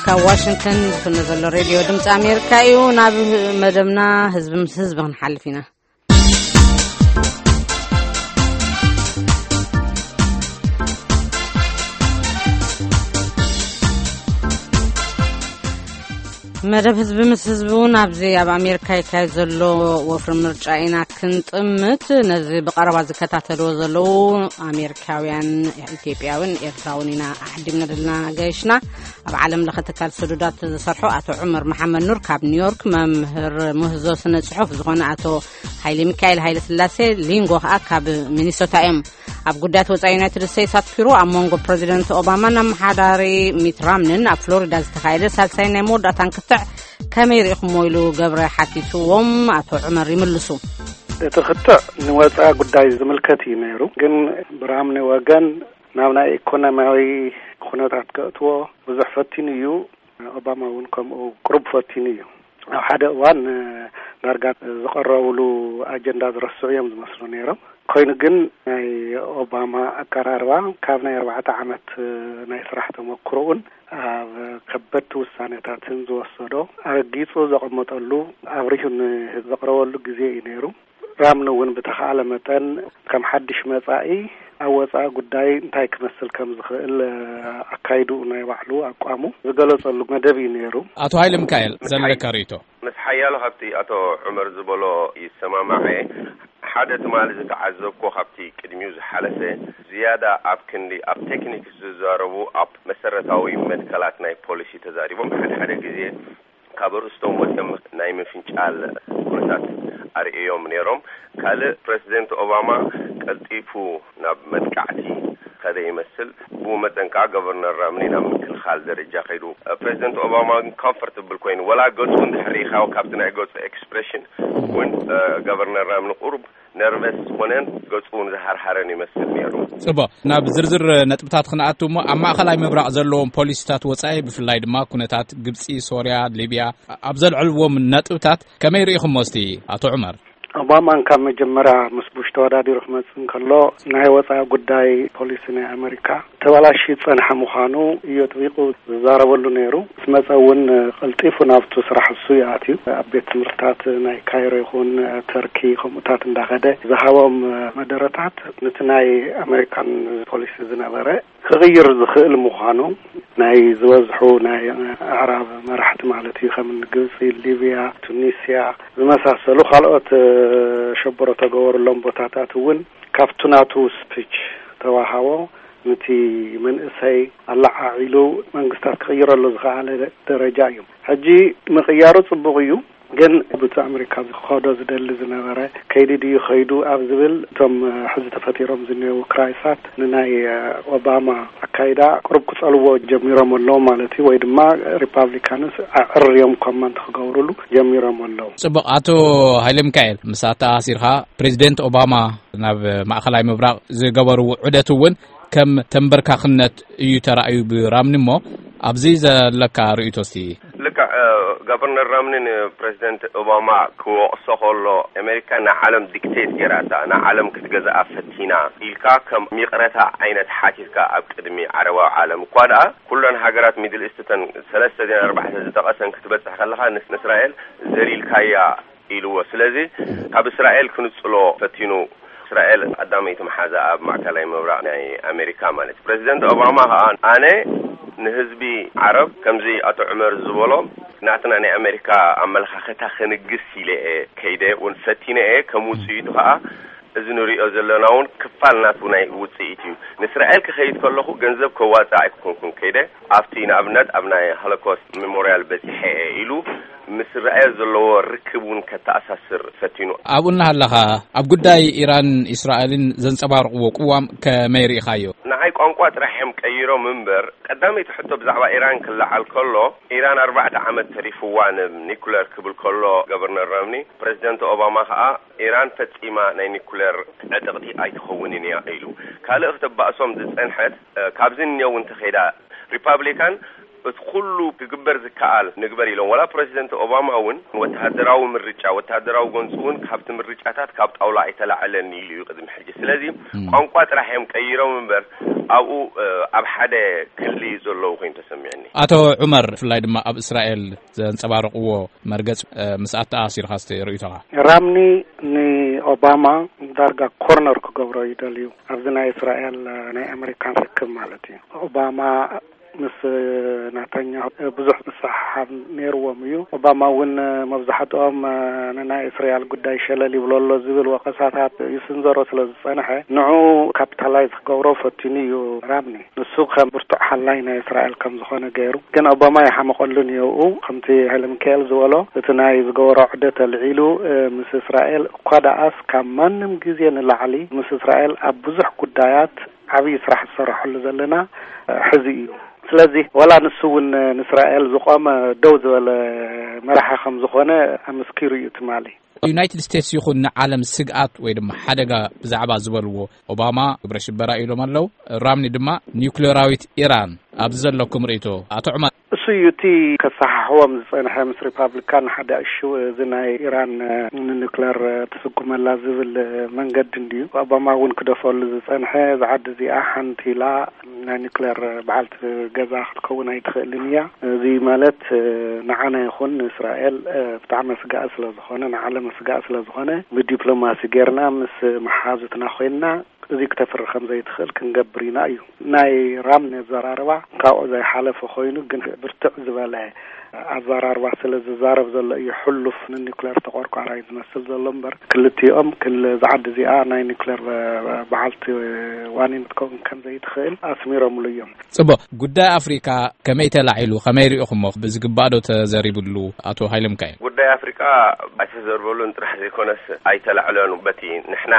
ካብ ዋሽንግተን ዝፍኖ ዘሎ ሬድዮ ድምፂ ኣሜሪካ እዩ። ናብ መደብና ህዝቢ ምስ ህዝቢ ክንሓልፍ ኢና። መደብ ህዝቢ ምስ ህዝቢ እውን ኣብዚ ኣብ ኣሜሪካ ይካየድ ዘሎ ወፍሪ ምርጫ ኢና ክንጥምት። ነዚ ብቐረባ ዝከታተልዎ ዘለዉ ኣሜሪካውያን፣ ኢትዮጵያውን ኤርትራውን ኢና ኣሕዲምና ዘለና ገይሽና። ኣብ ዓለም ለኸ ትካል ስዱዳት ዝሰርሑ ኣቶ ዑመር መሓመድ ኑር ካብ ኒውዮርክ፣ መምህር ምህዞ ስነ ጽሑፍ ዝኾነ ኣቶ ሃይለ ሚካኤል ሃይለ ስላሴ ሊንጎ ከኣ ካብ ሚኒሶታ እዮም። ኣብ ጉዳያት ወጻኢ ዩናይትድ ስቴትስ ኣትኪሩ ኣብ መንጎ ፕረዚደንት ኦባማን ኣመሓዳሪ ሚት ራምንን ኣብ ፍሎሪዳ ዝተኻየደ ሳልሳይ ናይ መወዳእታን ክትዕ ከመይ ርኢኹሞ ኢሉ ገብረ ሓቲትዎም። ኣቶ ዑመር ይምልሱ። እቲ ክትዕ ንወጻኢ ጉዳይ ዝምልከት እዩ ነይሩ፣ ግን ብራምኒ ወገን ናብ ናይ ኢኮኖሚያዊ ኩነታት ከእትዎ ብዙሕ ፈቲኑ እዩ። ኦባማ እውን ከምኡ ቅሩብ ፈቲኑ እዩ። ኣብ ሓደ እዋን ዳርጋ ዝቐረብሉ ኣጀንዳ ዝረስዑ እዮም ዝመስሉ ነይሮም። ኮይኑ ግን ናይ ኦባማ ኣቀራርባ ካብ ናይ ኣርባዕተ ዓመት ናይ ስራሕ ተመክሮኡን ኣብ ከበድቲ ውሳኔታትን ዝወሰዶ ኣረጊጹ ዘቐመጠሉ ኣብሪሁ ዘቕረበሉ ግዜ እዩ ነይሩ። ራምኒ እውን ብተኻእለ መጠን ከም ሓድሽ መጻኢ ኣብ ወጻኢ ጉዳይ እንታይ ክመስል ከም ዝኽእል ኣካይዱ ናይ ባዕሉ ኣቋሙ ዝገለጸሉ መደብ እዩ ነይሩ። ኣቶ ሃይለ ሚካኤል ዘለካ ርእይቶ? ምስ ሓያሎ ካብቲ ኣቶ ዑመር ዝበሎ ይሰማማዕ እየ። ሓደ ትማሊ ዝተዓዘብኮ ካብቲ ቅድሚኡ ዝሓለፈ ዝያዳ ኣብ ክንዲ ኣብ ቴክኒክ ዝዛረቡ ኣብ መሰረታዊ መትከላት ናይ ፖሊሲ ተዛሪቦም ሓደ ሓደ ግዜ ካብ ኣርእስቶም ወፂኦም ናይ ምፍንጫል ኩነታት ኣርእዮም ነይሮም። ካልእ ፕረዚደንት ኦባማ ቀልጢፉ ናብ መጥቃዕቲ ከደ ይመስል። ብኡ መጠን ከዓ ገቨርነር ራምኒ ናብ ምክልኻል ደረጃ ከይዱ። ፕረዚደንት ኦባማ ግን ኮምፈርትብል ኮይኑ፣ ወላ ገፁ እንድሕር ርኢኻዮ ካብቲ ናይ ገፁ ኤክስፕሬሽን እውን ገቨርነር ራምኒ ቁሩብ ነርቨስ ዝኾነን ገፁ እውን ዝሃርሃረን ይመስል ነይሩ። ጽቡቕ፣ ናብ ዝርዝር ነጥብታት ክንኣቱ እሞ ኣብ ማእኸላይ ምብራቕ ዘለዎም ፖሊሲታት ወጻኢ ብፍላይ ድማ ኩነታት ግብጺ፣ ሶርያ፣ ሊብያ ኣብ ዘልዕልዎም ነጥብታት ከመይ ርኢኹሞ እስቲ ኣቶ ዑመር? ኦባማን ካብ መጀመርያ ምስ ቡሽ ተወዳዲሩ ክመጽእ እንከሎ ናይ ወጻኢ ጉዳይ ፖሊሲ ናይ ኣመሪካ ተበላሽዩ ዝጸንሐ ምዃኑ እዩ ኣጥቢቑ ዝዛረበሉ ነይሩ። ምስ መጸ እውን ቀልጢፉ ናብቱ ስራሕ እሱ ይኣትዩ። ኣብ ቤት ትምህርትታት ናይ ካይሮ ይኹን ተርኪ ከምኡታት እንዳኸደ ዝሃቦም መደረታት ነቲ ናይ ኣሜሪካን ፖሊሲ ዝነበረ ክቕይር ዝኽእል ምዃኑ ናይ ዝበዝሑ ናይ ኣዕራብ መራሕቲ ማለት እዩ፣ ከም ግብፂ፣ ሊብያ፣ ቱኒስያ ዝመሳሰሉ ካልኦት ሸበሮ ተገበሩሎም ቦታታት እውን ካብቱ ናቱ ስፒች ተዋሃቦ። ነቲ መንእሰይ ኣለዓዒሉ መንግስታት ክቕይረሉ ዝኸኣለ ደረጃ እዩ። ሕጂ ምቕያሩ ጽቡቕ እዩ፣ ግን ብቲ ኣሜሪካ ዝኸዶ ዝደሊ ዝነበረ ከይዲ ድዩ ከይዱ ኣብ ዝብል እቶም ሕዚ ተፈጢሮም ዝነበሩ ክራይሳት ንናይ ኦባማ ኣካይዳ ቅሩብ ክጸልዎ ጀሚሮም ኣለዉ ማለት እዩ፣ ወይ ድማ ሪፓብሊካንስ ኣዕርዮም ኮመንት ክገብሩሉ ጀሚሮም ኣለዉ። ጽቡቕ። ኣቶ ሃይለ ሚካኤል፣ ምስ ኣተኣሲርካ ፕሬዚደንት ኦባማ ናብ ማእኸላይ ምብራቕ ዝገበርዎ ዑደት እውን ከም ተንበርካኽነት እዩ ተራእዩ ብራምኒ። እሞ ኣብዚ ዘለካ ርእይቶ እስቲ? ልክዕ፣ እ፣ ገቨርነር ራምኒ ንፕሬዚደንት ኦባማ ክወቕሶ ከሎ፣ ኣሜሪካ ንዓለም ዲክቴት ገይራታ፣ ንዓለም ክትገዝኣ ፈቲና ኢልካ ከም ይቕረታ ዓይነት ሓቲትካ ኣብ ቅድሚ ዓረባዊ ዓለም እኳ ደኣ፣ ኩለን ሃገራት ሚድል ኢስት እተን ሰለስተ ድየን ኣርባዕተ ዝጠቐሰን ክትበጽሕ ከለኻ፣ ንስ-፣ ንእስራኤል ዘሊልካያ ኢልዎ። ስለዚ ካብ እስራኤል ክንጽሎ ፈቲኑ። እስራኤል ቀዳመይቲ መሓዛ ኣብ ማእከላይ ምብራቕ ናይ ኣሜሪካ ማለት እዩ። ፕረዚደንት ኦባማ ከኣ ኣነ ንህዝቢ ዓረብ ከምዚ ኣቶ ዑመር ዝበሎ ናትና ናይ ኣሜሪካ ኣመለኻኽታ ክንግስ ኢለ እየ ከይደ እውን ፈቲነ እየ። ከም ውጽኢቱ ከኣ እዚ ንሪኦ ዘለና እውን ክፋል ናቱ ናይ ውጽኢት እዩ። ንእስራኤል ክኸይድ ከለኹ ገንዘብ ከዋጽእ ኣይኮንኩን ከይደ። ኣብቲ ንኣብነት ኣብ ናይ ሆሎኮስት ሜሞርያል በጺሐ እየ ኢሉ ምስ እስራኤል ዘለዎ ርክብ እውን ከተኣሳስር ፈቲኑ። ኣብኡ እናሃለኻ ኣብ ጉዳይ ኢራን እስራኤልን ዘንጸባርቕዎ ቅዋም ከመይ ርኢኻዮ? ንዓይ ቋንቋ ጥራሕ እዮም ቀይሮም እምበር፣ ቀዳመይቲ ሕቶ ብዛዕባ ኢራን ክለዓል ከሎ፣ ኢራን ኣርባዕተ ዓመት ተሪፍዋ ንኒኩለር ክብል ከሎ ገቨርነር ራምኒ፣ ፕረዚደንት ኦባማ ከኣ ኢራን ፈጺማ ናይ ኒኩለር ዕጥቕቲ ኣይትኸውንን እያ ኢሉ። ካልእ ክተባእሶም ዝጸንሐት፣ እ፣ ካብዚ እኒኦ እውን እንተኸይዳ ሪፓብሊካን እቲ ኩሉ ክግበር ዝከኣል ንግበር ኢሎም። ዋላ ፕረዚደንት ኦባማ እውን ወተሃደራዊ ምርጫ፣ ወተሃደራዊ ጎንፂ እውን ካብቲ ምርጫታት ካብ ጣውላ ኣይተላዕለን ኢሉ እዩ ቅድሚ ሕጂ። ስለዚ ቋንቋ ጥራሕ እዮም ቀይሮም እምበር ኣብኡ ኣብ ሓደ ክሊ ዘለዉ ኮይኑ ተሰሚዕኒ። ኣቶ ዑመር፣ ብፍላይ ድማ ኣብ እስራኤል ዘንጸባረቕዎ መርገጽ ምስ ኣተኣሲርካ ርእይቶኻ? ራምኒ ንኦባማ ዳርጋ ኮርነር ክገብሮ ይደልዩ ኣብዚ ናይ እስራኤል ናይ ኣመሪካን ርክብ ማለት እዩ። ኦባማ ምስ ናታኛሁ ብዙሕ ምስሕሓብ ነይርዎም እዩ። ኦባማ እውን መብዛሕትኦም ንናይ እስራኤል ጉዳይ ሸለል ይብሎ ኣሎ ዝብል ወቐሳታት ይስንዘሮ ስለ ዝጸንሐ፣ ንዑ ካፒታላይዝ ክገብሮ ፈቲኑ እዩ ራምኒ። ንሱ ከም ብርቱዕ ሓላይ ናይ እስራኤል ከም ዝኾነ ገይሩ፣ ግን ኦባማ ይሓመቐሉ ነይሩ። ከምቲ ሃይለ ሚካኤል ዝበሎ፣ እቲ ናይ ዝገበሮ ዕደት ኣልዒሉ ምስ እስራኤል እኳ ደኣስ ካብ ማንም ግዜ ንላዕሊ ምስ እስራኤል ኣብ ብዙሕ ጉዳያት ዓብዪ ስራሕ ዝሰረሐሉ ዘለና ሕዚ እዩ። ስለዚ ዋላ ንሱ እውን ንእስራኤል ዝቆመ ደው ዝበለ መራሒ ከም ዝኾነ ኣመስኪሩ እዩ ትማሊ። ዩናይትድ ስቴትስ ይኹን ንዓለም ስግኣት ወይ ድማ ሓደጋ ብዛዕባ ዝበልዎ ኦባማ ግብረ ሽበራ ኢሎም ኣለዉ። ራምኒ ድማ ኒውክሌራዊት ኢራን። ኣብዚ ዘለኩም ርእይቶ ኣቶ ዑመር? እሱ እዩ እቲ ከሰሓሕዎም ዝጸንሐ ምስ ሪፓብሊካን ሓደ እሹ እዚ ናይ ኢራን ንኒውክሌር ትስጉመላ ዝብል መንገዲ እንድዩ። ኦባማ እውን ክደፈሉ ዝጸንሐ እዛ ዓዲ እዚኣ ሓንቲ ኢላ ናይ ኒውክሌር በዓልቲ ገዛ ክትከውን ኣይትኽእልን እያ። እዚ ማለት ንዓና ይኹን ንእስራኤል ብጣዕሚ ኣስጋኢ ስለ ዝኾነ፣ ንዓለም ኣስጋኢ ስለ ዝኾነ ብዲፕሎማሲ ጌርና ምስ መሓዙትና ኮይንና እዚ ክተፍሪ ከም ዘይትኽእል ክንገብር ኢና እዩ። ናይ ራምኒ ኣዘራርባ ካብኡ ዘይሓለፈ ኮይኑ ግን ብርትዕ ዝበለ ኣዘራርባ ስለ ዝዛረብ ዘሎ እዩ ሕሉፍ ንኒውክሌር ተቆርቋራይ ዝመስል ዘሎ እምበር ክልቲኦም ክል እዛ ዓዲ እዚኣ ናይ ኒውክሌር በዓልቲ ዋኒን ክትከውን ከም ዘይትኽእል ኣስሚሮምሉ እዮም። ጽቡቕ። ጉዳይ ኣፍሪካ ከመይ ተላዒሉ፣ ከመይ ርኢኹሞ? ብዝግባእ ዶ ተዘሪብሉ ኣቶ ሃይለ ሚካኤል? ጉዳይ ኣፍሪቃ ኣይተዘርበሉን ጥራሕ ዘይኮነስ ኣይተላዕለኑ። በቲ ንሕና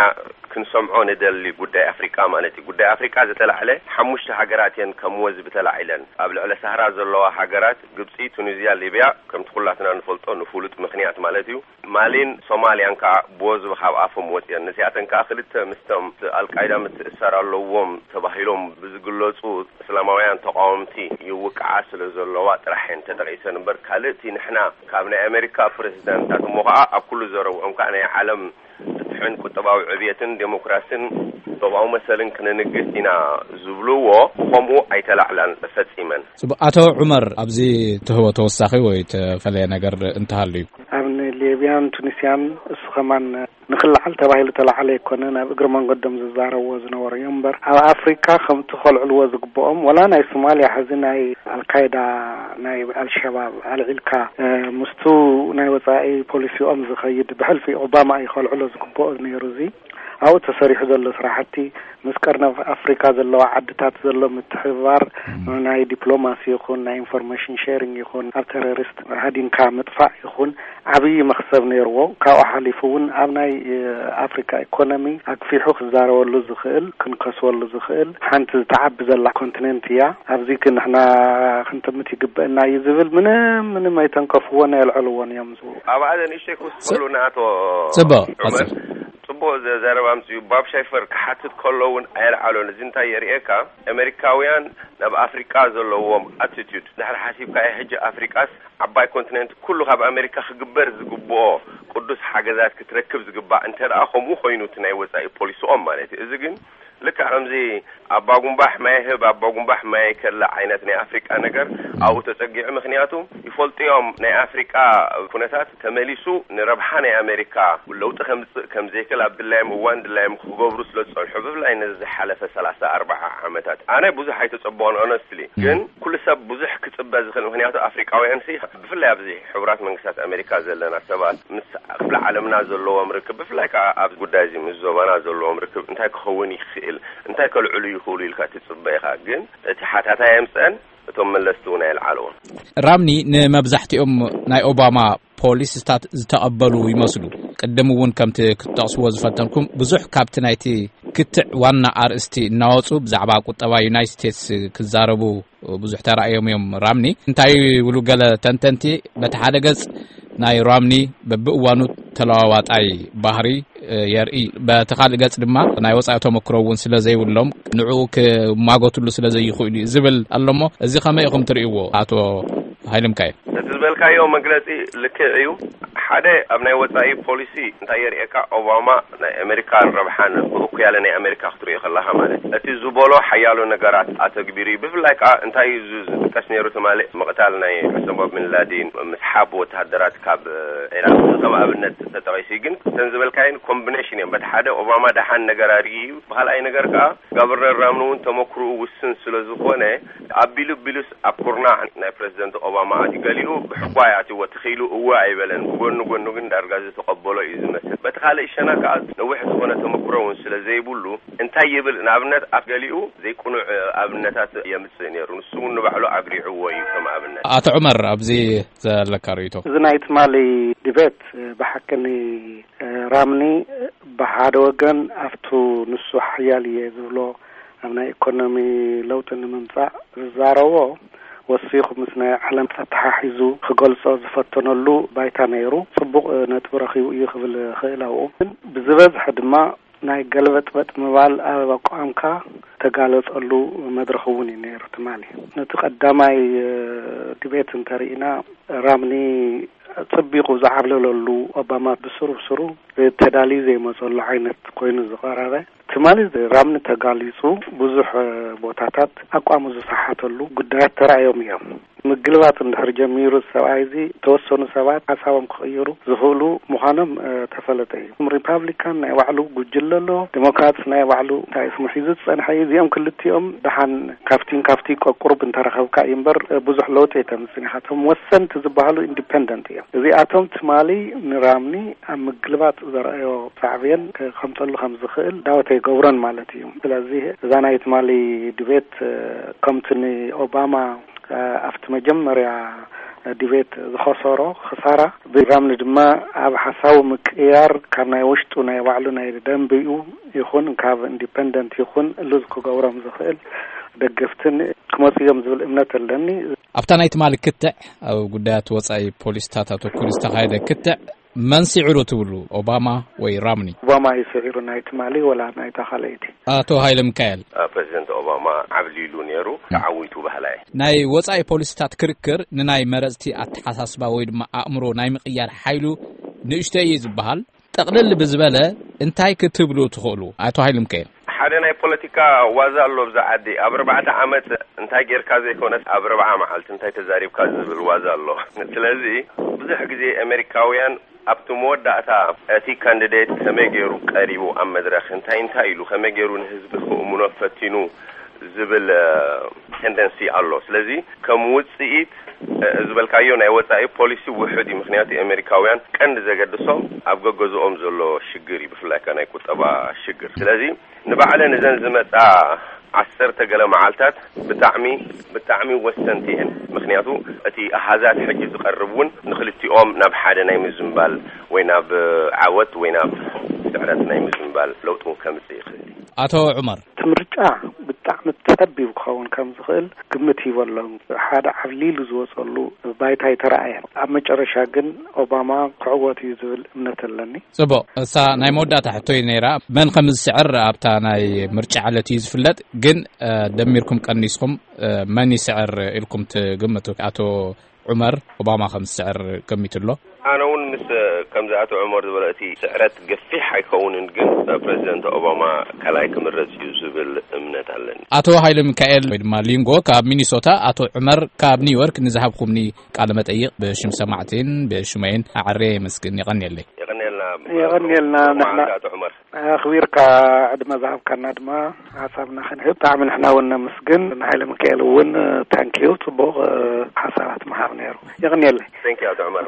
ክንሰምዖ ንደሊ ጉዳይ ኣፍሪቃ ማለት እዩ። ጉዳይ ኣፍሪቃ ዝተላዕለ ሓሙሽተ ሃገራት እየን ከም ወዝቢ ተላዒለን። ኣብ ልዕሊ ሳህራ ዘለዋ ሃገራት ግብጺ፣ ቱኒዝያ፣ ሊብያ፣ ከምቲ ኩላትና ንፈልጦ ንፍሉጥ ምኽንያት ማለት እዩ። ማሊን ሶማልያን ከዓ ብወዝቢ ካብ ኣፎም ወፅየን። ንዚኣተን ከዓ ክልተ ምስቶም ኣልቃይዳ ምትእሳር ኣለዎም ተባሂሎም ብዝግለፁ እስላማውያን ተቃወምቲ ይውቅዓ ስለ ዘለዋ ጥራሕ እየን ተጠቂሰን እምበር፣ ካልእ እቲ ንሕና ካብ ናይ ኣሜሪካ ፕሬዚዳንታት እሞ ከዓ ኣብ ኩሉ ዘረብኦም ከዓ ናይ ዓለም ፍትሕን ቁጠባዊ ዕብየትን ዴሞክራሲን ዞባዊ መሰልን ክነንግስ ኢና ዝብልዎ ብኸምኡ ኣይተላዕላን ፈጺመን። ጽቡቕ። ኣቶ ዑመር፣ ኣብዚ ትህቦ ተወሳኺ ወይ ተፈለየ ነገር እንተሃሉ እዩ? ኣብ ሊብያን ቱኒስያን እሱ ከማን ንክልዓል ተባሂሉ ተላዓለ ኣይኮነን፣ ኣብ እግሪ መንገዶም ዝዛረብዎ ዝነበሩ እዮም እምበር፣ ኣብ ኣፍሪካ ከምቲ ከልዕልዎ ዝግብኦም፣ ወላ ናይ ሶማልያ ሕዚ ናይ ኣልካይዳ፣ ናይ ኣልሸባብ ኣልዒልካ፣ እ፣ ምስቱ ናይ ወፃኢ ፖሊሲኦም ዝኸይድ ብሕልፊ ኦባማ እዩ ከልዕሎ ዝግብኦ ነይሩ። እዚ ኣብኡ ተሰሪሑ ዘሎ ስራሕቲ ምስ ቀርኒ ኣፍሪካ ዘለዋ ዓድታት ዘሎ ምትሕብባር፣ ናይ ዲፕሎማሲ ይኹን ናይ ኢንፎርሜሽን ሼሪንግ ይኹን ኣብ ቴሮሪስት ሃዲንካ ምጥፋእ ይኹን ዓብዪ መኽሰብ ነይርዎ። ካብኡ ሓሊፉ እውን ኣብ ናይ፣ እ፣ ኣፍሪካ ኢኮኖሚ ኣግፊሑ ክዛረበሉ ዝኽእል፣ ክንከስበሉ ዝኽእል ሓንቲ ዝተዓቢ ዘላ ኮንቲኔንት እያ። ኣብዚ ግን ንሕና ክንጥምት ይግበአና እዩ ዝብል ምንም፣ ምንም ኣይተንከፍዎን ኣየልዐልዎን እዮም ዝብሉ። ኣብኣ ንእሽተይ ክውስኸሉ ንኣቶ ጽቡቕ፣ ዑመር። ጽቡቕ ዘ-፣ ዘረባ ኣምጽኡ። ባብ ሻይፈር ክሓትት ከሎ እውን ኣየልዓሎን። እዚ እንታይ የርእየካ? ኣሜሪካውያን ናብ ኣፍሪቃ ዘለዎም ኣቲቱድ ድሕሪ ሓሲብካዮ፣ ሕጂ ኣፍሪቃስ ዓባይ ኮንቲነንት፣ ኩሉ ካብ ኣሜሪካ ክግበር ዝግብኦ ቅዱስ ሓገዛት ክትረክብ ዝግባእ፣ እንተ ደኣ ከምኡ ኮይኑ እቲ ናይ ወጻኢ ፖሊሲኦም ማለት እዩ። እዚ ግን ልክዕ ከምዚ ኣባጉምባሕ ማይ ህብ ኣባጉምባሕ ማይ ከላ ዓይነት ናይ ኣፍሪቃ ነገር ኣብኡ ተጸጊዑ። ምኽንያቱ ይፈልጡ እዮም ናይ ኣፍሪቃ ኩነታት ተመሊሱ ንረብሓ ናይ ኣሜሪካ ለውጢ ከምጽእ ከም ዘይክእል ኣብ ድላዮም እዋን ድላዮም ክገብሩ ስለ ዝጸንሑ፣ ብፍላይ ነዚ ዝሓለፈ ሰላሳ ኣርባዓ ዓመታት ኣነ ብዙሕ ኣይተጸበኦን ኦነስትሊ። ግን ኩሉ ሰብ ብዙሕ ክጽበ ዝኽእል፣ ምኽንያቱ ኣፍሪቃውያን ሲ ብፍላይ ኣብዚ ሕቡራት መንግስታት ኣሜሪካ ዘለና ሰባት ምስ ክፍለ ዓለምና ዘለዎም ርክብ፣ ብፍላይ ከዓ ኣብ ጉዳይ እዚ ምስ ዞባና ዘለዎም ርክብ እንታይ ክኸውን ይኽእል፣ እንታይ ከልዕሉ ይኽእሉ ኢልካ ትጽበ ኢኻ። ግን እቲ ሓታታይ ኣምጽአን እቶም መለስቲ እውን ኣየልዓልዎም። ራምኒ ንመብዛሕትኦም ናይ ኦባማ ፖሊሲታት ዝተቐበሉ ይመስሉ። ቅድም እውን ከምቲ ክትጠቕስዎ ዝፈተንኩም፣ ብዙሕ ካብቲ ናይቲ ክትዕ ዋና ኣርእስቲ እናወጹ ብዛዕባ ቁጠባ ዩናይትድ ስቴትስ ክዛረቡ ብዙሕ ተራእዮም እዮም። ራምኒ እንታይ ይብሉ ገለ ተንተንቲ? በቲ ሓደ ገጽ ናይ ራምኒ በብእዋኑ ተለዋዋጣይ ባህሪ የርኢ። በቲ ካልእ ገጽ ድማ ናይ ወጻኢ ተመክሮ እውን ስለ ዘይብሎም ንዕኡ ክማጎትሉ ስለ ዘይኽእሉ እዩ ዝብል ኣሎ። እሞ እዚ ከመይ ኢኹም ትርእይዎ ኣቶ ሃይለ ሚካኤል? እቲ ዝበልካዮ መግለጺ ልክዕ እዩ። ሓደ ኣብ ናይ ወጻኢ ፖሊሲ እንታይ የርእየካ? ኦባማ ናይ ኣሜሪካን ረብሓን ብእኩያለ ናይ ኣሜሪካ ክትርእዮ ከለኻ ማለት እዩ። እቲ ዝበሎ ሓያሎ ነገራት ኣተግቢሩ እዩ። ብፍላይ ከዓ እንታይ እዩ ዝ- ዝጥቀስ ነይሩ ትማሊ? ምቕታል ናይ ዑሳማ ቢን ላዲን፣ ምስሓብ ወተሃደራት ካብ ዒራቅ ከም ኣብነት ተጠቂሱ እዩ። ግን እተን ዝበልካየን ኮምቢኔሽን እዮም። በቲ ሓደ ኦባማ ደሓን ነገር ኣርእዩ እዩ። ብካልኣይ ነገር ከዓ ጋብርነር ራምኒ እውን ተመክርኡ ውስን ስለ ዝኾነ ኣቢሉ ቢሉስ ኣብ ኩርናዕ ናይ ፕረዚደንት ኦባማ ኣትዩ። ገሊኡ ብሕጓ ኣትዎ ተኽኢሉ እወ ኣይበለን። ብጎኒ ጎኑ ግን ዳርጋ ዝተቐበሎ እዩ ዝመስል። በቲ ካልእ ሸነኽ ከዓ ነዊሕ ዝኾነ ተመክሮ እውን ስለ ዘይብሉ እንታይ ይብል ንኣብነት ኣብ ገሊኡ ዘይቅኑዕ ኣብነታት የምጽእ ነይሩ። ንሱ እውን ንባዕሉ ኣብሪዕዎ እዩ ከም ኣብነት። ኣቶ ዑመር፣ ኣብዚ ዘለካ ርእይቶ? እዚ ናይ ትማሊ ዲቤት ብሓቂ ራምኒ ብሓደ ወገን ኣብቱ ንሱ ሓያል እየ ዝብሎ ኣብ ናይ ኢኮኖሚ ለውጢ ንምምጻእ ዝዛረቦ ወሲኹ ምስ ናይ ዓለም ኣተሓሒዙ ክገልጾ ዝፈተነሉ ባይታ ነይሩ። ጽቡቕ ነጥቢ ረኺቡ እዩ ክብል ክእል ኣብኡ። ግን ብዝበዝሐ ድማ ናይ ገልበጥበጥ ምባል ኣብ ኣቋምካ ተጋለጸሉ መድረኽ እውን እዩ ነይሩ ትማሊ። ነቲ ቀዳማይ ዲቤት እንተርኢና ራምኒ ጽቢቑ ዝዓብለለሉ ኦባማ ብስሩ ብስሩ ተዳልዩ ዘይመጸሉ ዓይነት ኮይኑ ዝቐረበ ትማሊ ራምኒ ተጋሊጹ ብዙሕ ቦታታት ኣቋሙ ዝሰሓተሉ ጉዳያት ተራእዮም እዮም። ምግልባጥ እንድሕር ጀሚሩ ሰብኣይ እዚ ተወሰኑ ሰባት ሓሳቦም ክቕይሩ ዝኽእሉ ምዃኖም ተፈለጠ እዩ። ሪፓብሊካን ናይ ባዕሉ ጉጅለ ኣሎ፣ ዴሞክራትስ ናይ ባዕሉ እንታይ ስሙ ሒዙ ዝጸንሐ እዩ። እዚኦም ክልቲኦም ደሓን ካብቲን ካብቲ ቀቁሩብ እንተረኸብካ እዩ እምበር ብዙሕ ለውጢ ኣይተምጽን ኢኻ። እቶም ወሰንቲ ዝበሃሉ ኢንዲፐንደንት እዮም። እዚኣቶም ትማሊ ንራምኒ ኣብ ምግልባጥ ዘርኣዮ ሳዕቤን ከምጸሉ ከም ዝኽእል ዳውት ኣይገብሮን ማለት እዩ። ስለዚ እዛ ናይ ትማሊ ድቤት ከምቲ ንኦባማ ኣብቲ መጀመርያ ድቤት ዝኸሰሮ ክሳራ ብራምኒ ድማ ኣብ ሓሳቡ ምቅያር ካብ ናይ ውሽጡ ናይ ባዕሉ ናይ ደንብኡ ይኹን ካብ ኢንዲፐንደንት ይኹን ሉዝ ክገብሮም ዝኽእል ደገፍትን ክመፁ እዮም ዝብል እምነት ኣለኒ። ኣብታ ናይ ትማሊ ክትዕ ኣብ ጉዳያት ወፃኢ ፖሊስታት ኣተኩሩ ዝተኻየደ ክትዕ መን ስዒሩ ትብሉ? ኦባማ ወይ ራምኒ? ኦባማ እዩ ስዒሩ ናይ ትማሊ ወላ ናይታ ካልኣይቲ? ኣቶ ሃይለ ሚካኤል። ፕሬዚደንት ኦባማ ዓብሊሉ ነይሩ፣ ተዓዊቱ ባህላ እየ። ናይ ወፃኢ ፖሊስታት ክርክር ንናይ መረፅቲ ኣተሓሳስባ ወይ ድማ ኣእምሮ ናይ ምቕያር ሓይሉ ንእሽቶ እዩ ዝበሃል። ጠቕልል ብዝበለ እንታይ ክትብሉ ትኽእሉ ኣቶ ሃይለ ሚካኤል? ሓደ ናይ ፖለቲካ ዋዛ ኣሎ ኣብዚ ዓዲ። ኣብ ኣርባዕተ ዓመት እንታይ ጌርካ ዘይኮነስ ኣብ ኣርብዓ መዓልቲ እንታይ ተዛሪብካ ዝብል ዋዛ ኣሎ። ስለዚ ብዙሕ ግዜ ኣሜሪካውያን ኣብቲ መወዳእታ እቲ ካንዲዴት ከመይ ገይሩ ቀሪቡ ኣብ መድረኽ እንታይ እንታይ ኢሉ ከመይ ገይሩ ንህዝቢ ክእምኖ ፈቲኑ ዝብል ቴንደንሲ ኣሎ። ስለዚ ከም ውፅኢት ዝበልካዮ ናይ ወፃኢ ፖሊሲ ውሑድ እዩ። ምክንያቱ ኣሜሪካውያን ቀንዲ ዘገድሶም ኣብ ገገዝኦም ዘሎ ሽግር እዩ፣ ብፍላይ ከ ናይ ቁጠባ ሽግር። ስለዚ ንባዕለን እዘን ዝመፃ ዓሰርተ ገለ መዓልታት ብጣዕሚ ብጣዕሚ ወሰንቲ እየን። ምክንያቱ እቲ ኣሃዛት ሕጂ ዝቐርብ እውን ንክልቲኦም ናብ ሓደ ናይ ምዝምባል ወይ ናብ ዓወት ወይ ናብ ስዕረት ናይ ምዝምባል ለውጢ እውን ከምፅእ ይኽእል እዩ። ኣቶ ዑመር። እቲ ምርጫ ብጣዕሚ ጸቢብ ክኸውን ከም ዝኽእል ግምት ሂቡ ኣሎ። ሓደ ዓብሊሉ ዝወጸሉ ባይታ ኣይተረኣየን። ኣብ መጨረሻ ግን ኦባማ ክዕወት እዩ ዝብል እምነት ኣለኒ። ጽቡቕ፣ እሳ ናይ መወዳእታ ሕቶይ ነይራ። መን ከም ዝስዕር ኣብታ ናይ ምርጫ ዕለት እዩ ዝፍለጥ። ግን ደሚርኩም ቀኒስኩም መን ይስዕር ኢልኩም ትግምቱ? ኣቶ ዑመር ኦባማ ከም ዝስዕር ገሚቱ ኣሎ። ኣነ እውን ምስ ከምዚ ኣቶ ዑመር ዝበሎ እቲ ስዕረት ገፊሕ ኣይከውንን፣ ግን ፕረዚደንት ኦባማ ካልኣይ ክምረጽ እዩ ዝብል እምነት ኣለኒ። ኣቶ ሃይለ ሚካኤል ወይ ድማ ሊንጎ ካብ ሚኒሶታ፣ ኣቶ ዑመር ካብ ኒውዮርክ ንዝሃብኩምኒ ቃለ መጠይቕ ብሽም ሰማዕቲን ብሽመይን ኣዕሬ የመስግን። የቐንየለይ። የቐንየልና። የቐንየልና። ንሕና ኣቶ ዑመር። ኣኽቢርካ ዕድመ ዝሃብካና ድማ ሓሳብና ክንህብ ብጣዕሚ ንሕና እውን ነመስግን። ንሃይለ ሚካኤል እውን ታንኪዩ፣ ጽቡቕ ሓሳባት ምሃብ ነይሩ። የቕንየለይ። Thank you ኣቶ ዑመር።